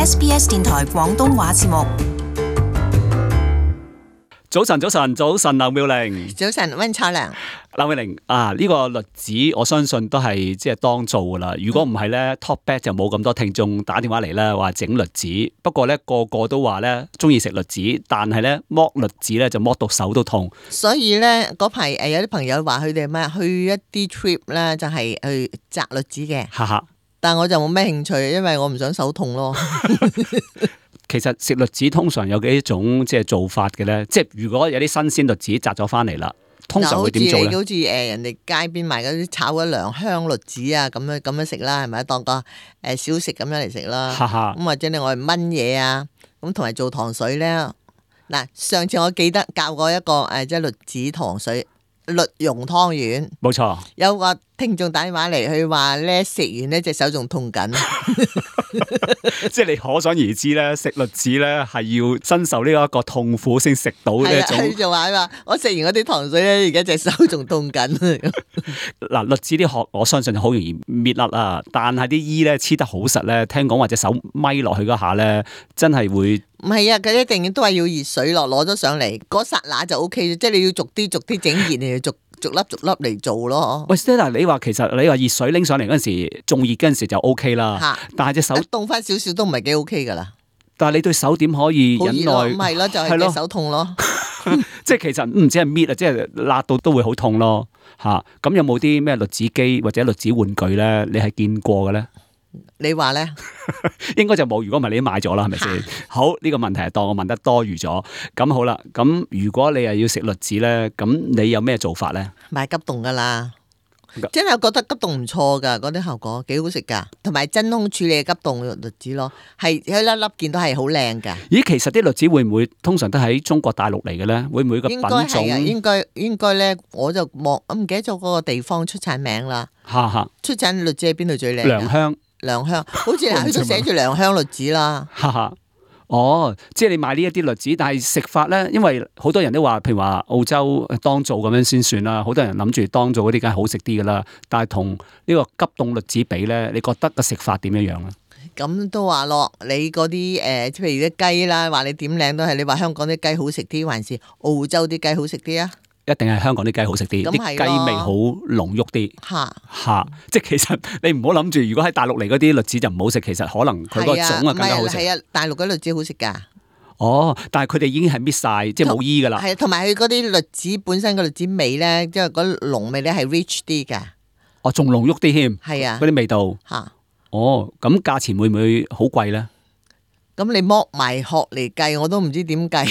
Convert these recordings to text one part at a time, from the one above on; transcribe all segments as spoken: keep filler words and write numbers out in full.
S B S 電台廣東話節目。早晨，早晨，早晨，劉妙玲。早晨，溫楚良。劉妙玲啊，呢、這個栗子我相信都係即係當造噶啦。如果唔係咧 ，Talk Back 就冇咁多聽眾打電話嚟咧，話整栗子。不過咧，個個都話咧中意食栗子，但係咧剝栗子咧就剝到手都痛。所以咧嗰排誒有啲朋友話佢哋咩去一啲 trip 咧，就係去摘栗子嘅。哈哈，但我就冇咩興趣，因為我唔想手痛咯。其實食栗子通常有幾種即係做法嘅咧，即係如果有啲新鮮栗子摘咗翻嚟啦，通常會點做咧？好似誒人哋街邊賣嗰啲炒嗰涼香栗子啊，咁樣咁樣食啦，係咪當個誒小食咁樣嚟食啦？咁或者你我哋燜嘢啊，咁同埋做糖水咧。嗱，上次我記得教過一個誒即係栗子糖水。栗蓉湯圓，冇錯。有個聽眾打電話嚟，佢話咧食完呢隻手仲痛緊，即係你可想而知咧，食栗子咧係要身受呢一個痛苦先食到呢一種。佢就話話我食完嗰啲糖水咧，而家隻手仲痛緊。嗱，栗子啲殼我相信好容易搣甩啦，但係啲衣咧黐得好實咧，聽講或者手咪落去嗰下咧，真係會。唔係啊，佢一定都係要熱水落，攞咗上嚟嗰剎那就 O K，即係你要逐啲逐啲整熱，你要逐逐粒逐粒嚟做咯。喂 Stella， 你話其實你話熱水拎上嚟嗰陣時，仲熱嗰陣時就 O K 啦。嚇！但係隻手凍翻少少都唔係幾 O K 噶啦。但係你對手點可以忍耐？唔係咯，就係、是、隻手痛咯。即係其實唔止係搣啊，即係辣到都會好痛咯。嚇！咁有冇啲咩栗子機或者栗子玩具咧？你係見過嘅咧？你話咧，應該就冇。如果唔係，你都買咗啦，係咪先？好，呢、這個問題係當我問得多餘咗。咁好啦，咁如果你係要食栗子咧，咁你有咩做法咧？買急凍噶啦，真係覺得急凍唔錯噶，嗰啲效果幾好食噶，同埋真空處理嘅急凍栗子咯，係一粒粒見到係好靚噶。咦，其實啲栗子會唔會通常都喺中國大陸嚟嘅咧？會唔會個品種？應該係啊，應該應該咧，我就望我唔記得咗嗰個地方出產名啦。哈哈，出產栗子喺邊度最靚？良鄉。良鄉，好似佢都寫住良鄉栗子啦。哈哈，哦，即係你買呢一啲栗子，但係食法咧，因為好多人都話，譬如話澳洲當造咁樣先算啦。好多人諗住當造嗰啲梗係好食啲噶啦，但係同呢個急凍栗子比咧，你覺得個食法點樣樣咧？咁都話咯，你嗰啲誒，譬如啲雞啦，話你點靚都係，你話香港啲雞好食啲，還是澳洲啲雞好食啲啊？一定係香港啲雞好食啲，啲雞味好濃郁啲。嚇嚇，即係其實你唔好諗住，如果喺大陸嚟嗰啲栗子就唔好食，其實可能佢個種啊更加好食。係啊，大陸嗰啲栗子好食㗎。哦，但係佢哋已經係搣晒，即係冇衣㗎啦。係，同埋佢嗰啲栗子本身個栗子味咧，即係嗰濃味咧係 rich 啲㗎。哦，仲濃郁啲添。係啊，嗰啲味道。嚇。哦，咁價錢會唔會好貴咧？咁你剝埋殼嚟計，我都唔知點計。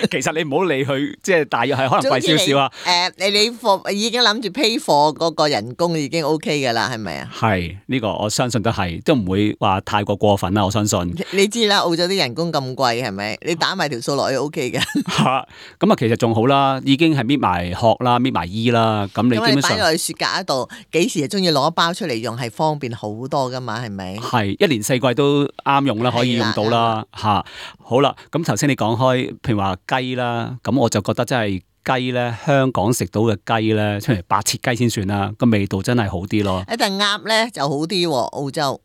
其實你唔好理佢，即係大約係可能貴少少啊。誒、呃，你你貨已經諗住批貨嗰個人工已經 O K 噶啦，係咪啊？係呢、這個我相信都係，都唔會話太過過分啦。我相信。你知啦，澳洲啲人工咁貴，係咪？你打埋條數落去 O K 嘅。吓，咁啊，其實仲好啦，已經係搣埋殼啦，搣埋衣啦。咁你基本上擺落去雪格度，幾時就中意攞一包出嚟用，係方便好多噶嘛，係咪？係一年四季都啱用啦，可以用到啦。吓，好啦，咁頭先你講開，譬如話雞啦，咁我就覺得真係雞咧，香港食到嘅雞咧，出嚟白切雞先算啦，個味道真係好啲咯。一但鴨咧就好啲，澳洲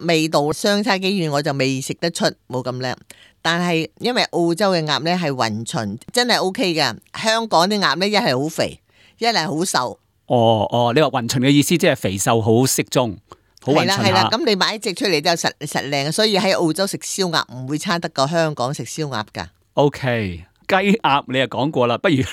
味道相差幾遠，我就未食得出，冇咁靚。但係因為澳洲嘅鴨咧係勻循，真係 O K 噶。香港啲鴨咧一係好肥，一係好瘦。哦哦，你話勻循嘅意思即係肥瘦好適中。係啦係啦，咁你買一隻出嚟就實實靚，所以喺澳洲食燒鴨唔會差得過香港食燒鴨噶。O K， 雞鴨你又講過啦，不如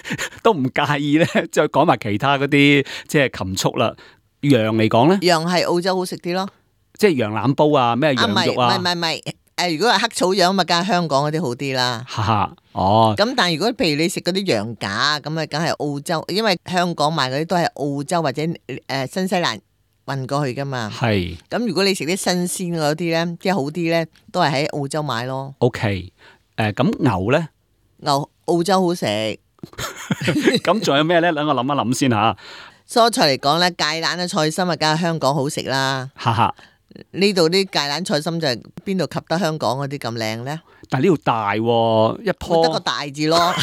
都唔介意咧，再講埋其他嗰啲即係禽畜啦。羊嚟講咧，羊係澳洲好食啲咯，即係羊腩煲啊，咩羊肉啊？唔係唔係唔係，誒，如果係黑草羊咪梗係香港嗰啲好啲啦。哈哈，哦。咁但係如果譬如你食嗰啲羊架咁啊，梗係澳洲，因為香港賣嗰啲都係澳洲或者誒新西蘭運過去噶嘛，係。咁如果你食啲新鮮嗰啲咧，即係好啲咧，都係喺澳洲買咯。O K， 誒，咁牛咧？牛澳洲好食。咁仲有咩咧？等我諗一諗先吓。蔬菜嚟講咧，芥蘭嘅菜心啊，梗係香港好食啦。哈哈，呢度啲芥蘭菜心就係邊度及得香港嗰啲咁靚咧？但係呢度大喎，一棵得個大字咯。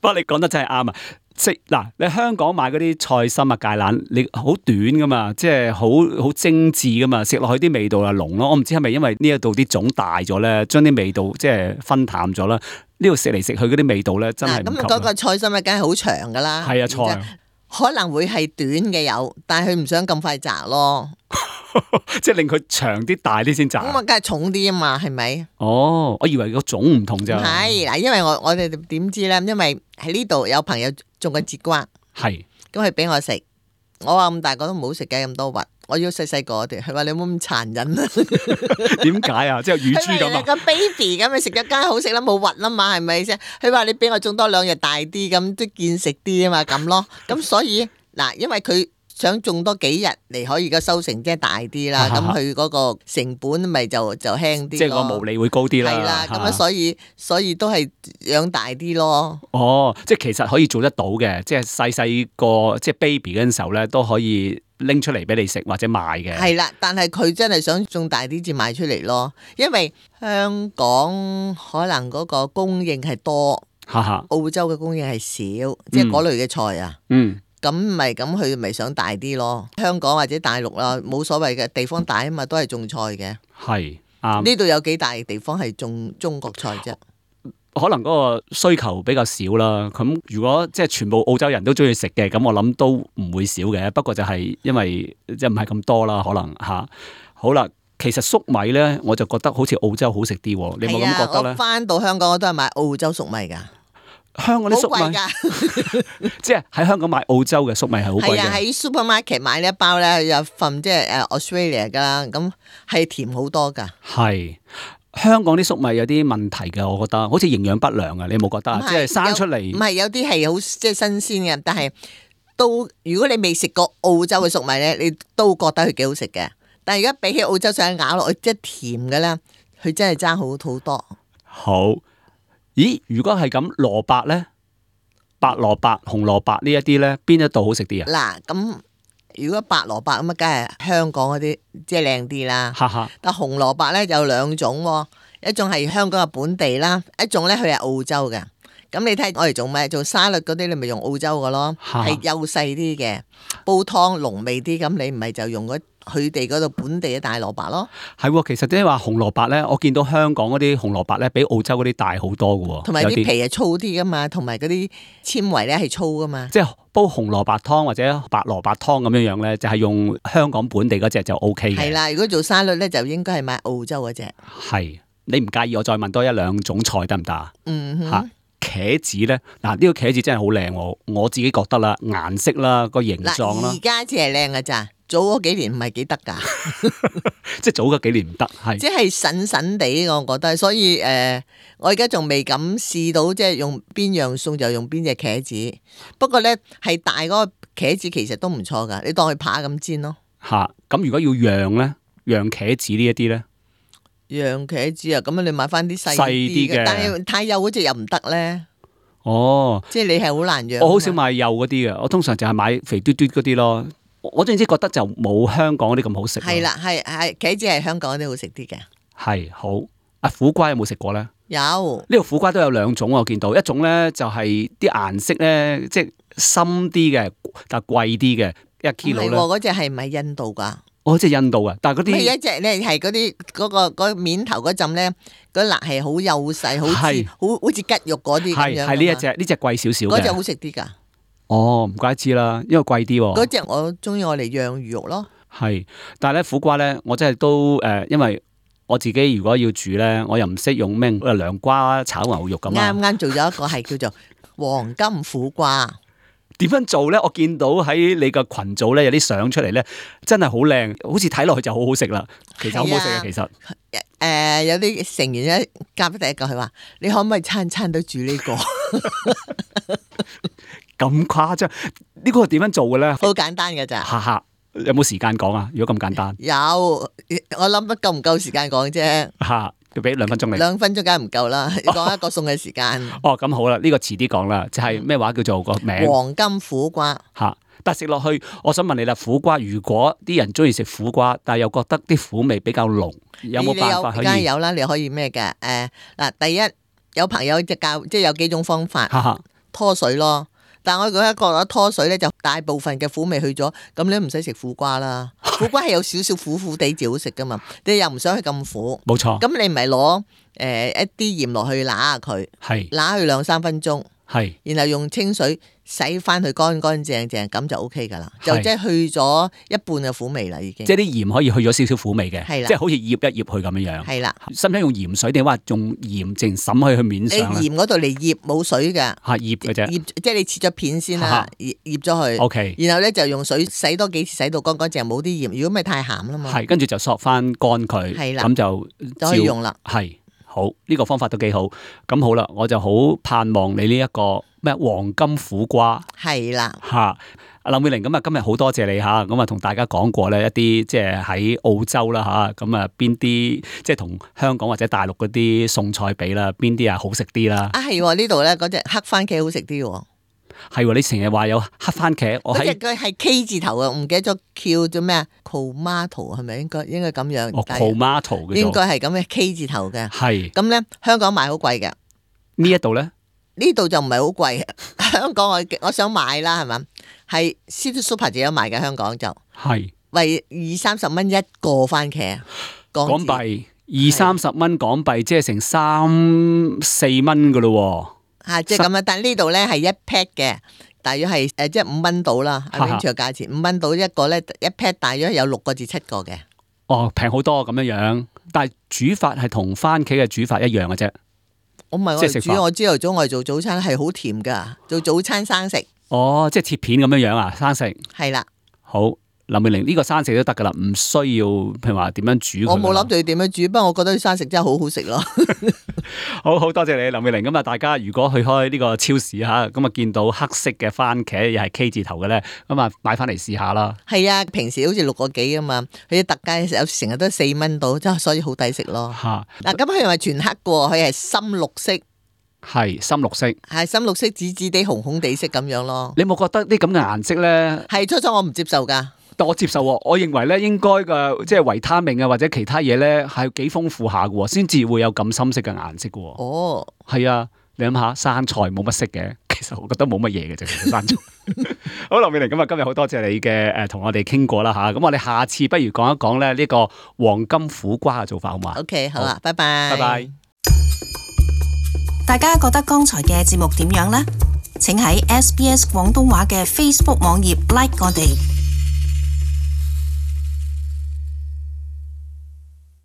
不過你講得真係啱啊！食嗱，你香港買嗰啲菜心啊、芥蘭，你好短噶嘛，即係好好精緻噶嘛，食落去啲味道啊濃咯。我唔知係咪因為呢一度啲種大咗咧，將啲味道即係分淡咗啦。呢度食嚟食去嗰啲味道咧，真係唔及。咁嗰個菜心啊，梗係好長噶啦。係啊，菜可能會係短嘅有，但係佢唔想咁快摘咯。即係令佢長啲、大啲先摘。咁啊，梗係重啲啊嘛，係咪？哦，我以為個種唔同咋。係嗱，因為我我哋點知咧？因為喺呢度有朋友種嘅節瓜，係咁佢俾我食，我話咁大個都唔好食嘅，咁多核，我要細細個啲。佢話你冇咁殘忍啊？點解啊？即係乳豬咁啊？個 baby 咁，你食咗梗係好食啦，冇核啦嘛，係咪先？佢話你俾我種多兩日大啲，咁都見食啲啊嘛，咁咯。咁所以嗱，因為佢。想種多幾日嚟可以個收成即係大啲啦，咁佢嗰個成本咪就就輕啲，即係個毛利會高啲啦。係啦，咁啊所以所以都係養大啲咯。哦，即係其實可以做得到嘅，即係細細個即係 baby 嗰陣時候咧，都可以拎出嚟俾你食或者賣嘅。係啦，但係佢真係想種大啲至賣出嚟咯，因為香港可能嗰個供應係多，澳洲嘅供應係少，即係嗰類嘅菜啊。嗯。咁咪咁佢咪想大啲咯？香港或者大陸啦，冇所謂嘅，地方大啊嘛，都係種菜嘅。係啱。呢度有幾大地方係種中國菜啫？可能嗰個需求比較少啦。咁如果即係全部澳洲人都中意食嘅，咁我諗都唔會少嘅。不過就係因為即係唔係咁多啦，可能吓。好啦，其實粟米咧，我就覺得好似澳洲好食啲。你有冇咁覺得咧？我翻到香港我都係買澳洲粟米噶。香港啲粟米，即係喺香港買澳洲嘅粟米係好貴嘅。係啊，喺 supermarket 買呢一包咧，有份即係誒 Australia 噶啦，咁係甜好多噶。係香港啲粟米有啲問題嘅，我覺得好似營養不良啊！你有冇覺得啊？即係生出嚟唔係有啲係好即係新鮮嘅，但係都如果你未食過澳洲嘅粟米咧，你都覺得佢幾好食嘅。但係而家比起澳洲上咬落去即係甜嘅咧，佢真係爭好好多。好。咦，如果係咁，蘿蔔咧，白蘿蔔、紅蘿蔔呢一啲咧，邊一度好食啲啊？嗱，咁如果白蘿蔔咁啊，梗係香港嗰啲即係靚啲啦。哈哈。但紅蘿蔔咧有兩種，一種係香港嘅本地啦，一種咧佢係澳洲嘅。咁你睇我哋做咩？做沙律嗰啲你咪用澳洲嘅咯，係幼細啲嘅，煲湯濃味啲。咁你唔係就用嗰佢哋嗰度本地嘅大蘿蔔咯。係，其實即係話紅蘿蔔咧，我見到香港嗰啲紅蘿蔔咧，比澳洲嗰啲大好多嘅。同埋啲皮係粗啲噶嘛，同埋嗰啲纖維咧係粗噶嘛。即係煲紅蘿蔔湯或者白蘿蔔湯咁樣樣咧，就係用香港本地嗰隻就 O K 嘅。係啦，如果做沙律咧，就應該係買澳洲嗰隻。係，你唔介意我再問多一兩種菜得唔得啊？嗯哼。吓。茄子咧，嗱、這、呢個茄子真係好靚喎，我自己覺得啦，顏色啦，個形狀啦，而家只係靚噶咋，早嗰幾年唔係幾得噶，即係早嗰幾年唔得，係即係筍筍地，我覺得，所以誒、呃，我而家仲未敢試到，即係用邊樣餸就用邊隻茄子。不過咧，係大嗰個茄子其實都唔錯噶，你當佢扒咁煎咯。吓，咁如果要釀咧，釀茄子呢一啲咧？洋茄子啊，咁樣你買翻啲細啲嘅，但係太幼嗰隻又唔得咧。哦，即係你係好難養。我好少買幼嗰啲嘅，我通常就係買肥嘟嘟嗰啲咯。我總之覺得就冇香港嗰啲咁好食。係啦，係係茄子係香港嗰啲好食啲嘅。係好啊，苦瓜有冇食過咧？有。呢個苦瓜都有兩種，我見到一種咧就係啲顏色咧，即係深啲嘅，但係貴啲嘅一 kilo 咧。嗰隻係唔係印度噶？哦，即係印度啊！但係嗰啲係一隻咧，係嗰啲嗰個嗰面頭嗰陣咧，嗰辣係好幼細，好似好好似吉肉嗰啲咁樣。係係呢一隻，呢隻貴少少嘅。嗰隻好食啲噶。哦，唔怪之啦，因為貴啲。嗰隻我中意我嚟釀魚肉咯。係，但係咧苦瓜咧，我真係都誒、呃，因為我自己如果要煮咧，我又唔識用咩涼瓜炒牛肉咁啊。啱啱做咗一個係叫做黃金苦瓜。點樣做咧？我見到喺你個群組咧有啲相出嚟咧，真係好靚，好似睇落去就好好食啦。其實好唔好食啊？其實誒、呃，有啲成員咧夾咗第一個，佢話你可唔可以餐餐都煮呢、這個？咁誇張？呢、這個點樣做嘅咧？好簡單㗎咋？哈哈，有冇時間講啊？如果咁簡單，有，我諗得夠唔夠時間講啫？吓。要俾兩分鐘你，兩分鐘梗係唔夠啦，要講一個餸嘅時間。哦，咁好啦，呢、這個遲啲講啦，就係、是、咩話叫做個名？黃金苦瓜。吓，但係食落去，我想問你啦，苦瓜如果啲人中意食苦瓜，但係又覺得啲苦味比較濃，有冇辦法可以？梗係有啦，你可以咩嘅？誒、呃、嗱，第一有朋友即教，即係有幾種方法。拖水咯，但係我覺得覺得拖水咧，就大部分嘅苦味去咗，咁你都唔使食苦瓜啦。苦瓜係有少少苦苦地至好食噶嘛，你又唔想去咁苦，冇錯。咁你唔係攞誒一啲鹽落去揦下佢，係揦佢兩三分鐘，係，然後用清水洗翻佢乾乾淨淨，咁就 O K 噶啦，就即係去咗一半嘅苦味啦，已經。即係啲鹽可以去咗少少苦味嘅，係啦，即係好似醃一醃佢咁樣樣。係啦，使唔使用鹽水定話用鹽淨滲去去面上咧？你鹽嗰度嚟醃冇水㗎，嚇醃嘅啫，醃即係你切咗片先啦，醃醃咗佢。O K，然後咧就用水洗多幾次，洗到乾乾淨，冇啲鹽。如果咪太鹹啦嘛。係，跟住就索翻乾佢，係啦，咁就就可以用啦。係。好，呢、這個方法都幾好，咁好啦，我就好盼望你呢、這、一個咩黃金苦瓜係啦嚇，阿林美玲，咁啊今日好多謝你嚇，咁啊同大家講過咧一啲即係喺澳洲啦嚇，咁啊邊啲即係同香港或者大陸嗰啲餸菜比啦，邊啲啊好食啲啦？啊係呢度咧嗰隻黑番茄好食啲喎。係喎，你成日話有黑番茄，我喺佢係 K 字頭啊，唔記得咗叫做咩啊 ？Tomato 係咪應該應該咁樣？哦 ，Tomato 嘅，應該係咁嘅 K 字頭嘅。係咁咧，香港賣好貴嘅。呢一度咧？呢度就唔係好貴。香港我我想買啦，係嘛？係 City Super 就有賣嘅，香港就係為二三十蚊一個番茄港幣，二三十蚊港幣，即係成三四蚊噶咯。吓、啊，即係咁樣，但係呢度咧係一 pack 嘅，大約係誒，即係五蚊到啦，係咪住嘅價錢？五蚊到一個咧，一 pack 大約有六個至七個嘅。哦，平好多咁樣樣，但係煮法係同番茄嘅煮法一樣嘅啫。我唔係我煮，我朝頭早我哋做早餐係好甜噶，做早餐生食。哦，即係切片咁樣樣啊，生食。係啦。好。林美玲呢個生食都得噶啦，唔需要譬如話點樣煮佢。我冇諗住點樣煮，不過我覺得啲生食真係好好食咯。好好多謝你，林美玲。咁啊，大家如果去開呢個超市吓，咁啊見到黑色嘅番茄又係 K 字頭嘅咧，咁啊買翻嚟試下啦。係啊，平時好似六個幾啊嘛，佢啲特價有成日都四蚊到，即係所以好抵食咯。吓嗱，咁佢係全黑嘅，佢係深綠色。係深綠色，係深綠色，紫紫地、紅紅地色咁樣咯。你有冇覺得啲咁嘅顏色咧？係初初我唔接受噶。但我接受，我認為咧應該嘅即係維他命啊或者其他嘢咧係幾豐富下嘅，先至會有咁深色嘅顏色嘅。哦，係啊，你諗下生菜冇乜色嘅，其實我覺得冇乜嘢嘅啫，生菜。好，林美玲，咁啊今日好多謝你嘅誒同我哋傾過啦吓，咁我哋下次不如講一講咧呢個黃金苦瓜嘅做法好嘛 ？OK， 好啦，拜拜，拜拜。大家覺得剛才嘅節目點樣呢？請喺 S B S 廣東話嘅 Facebook 網頁 like 我哋。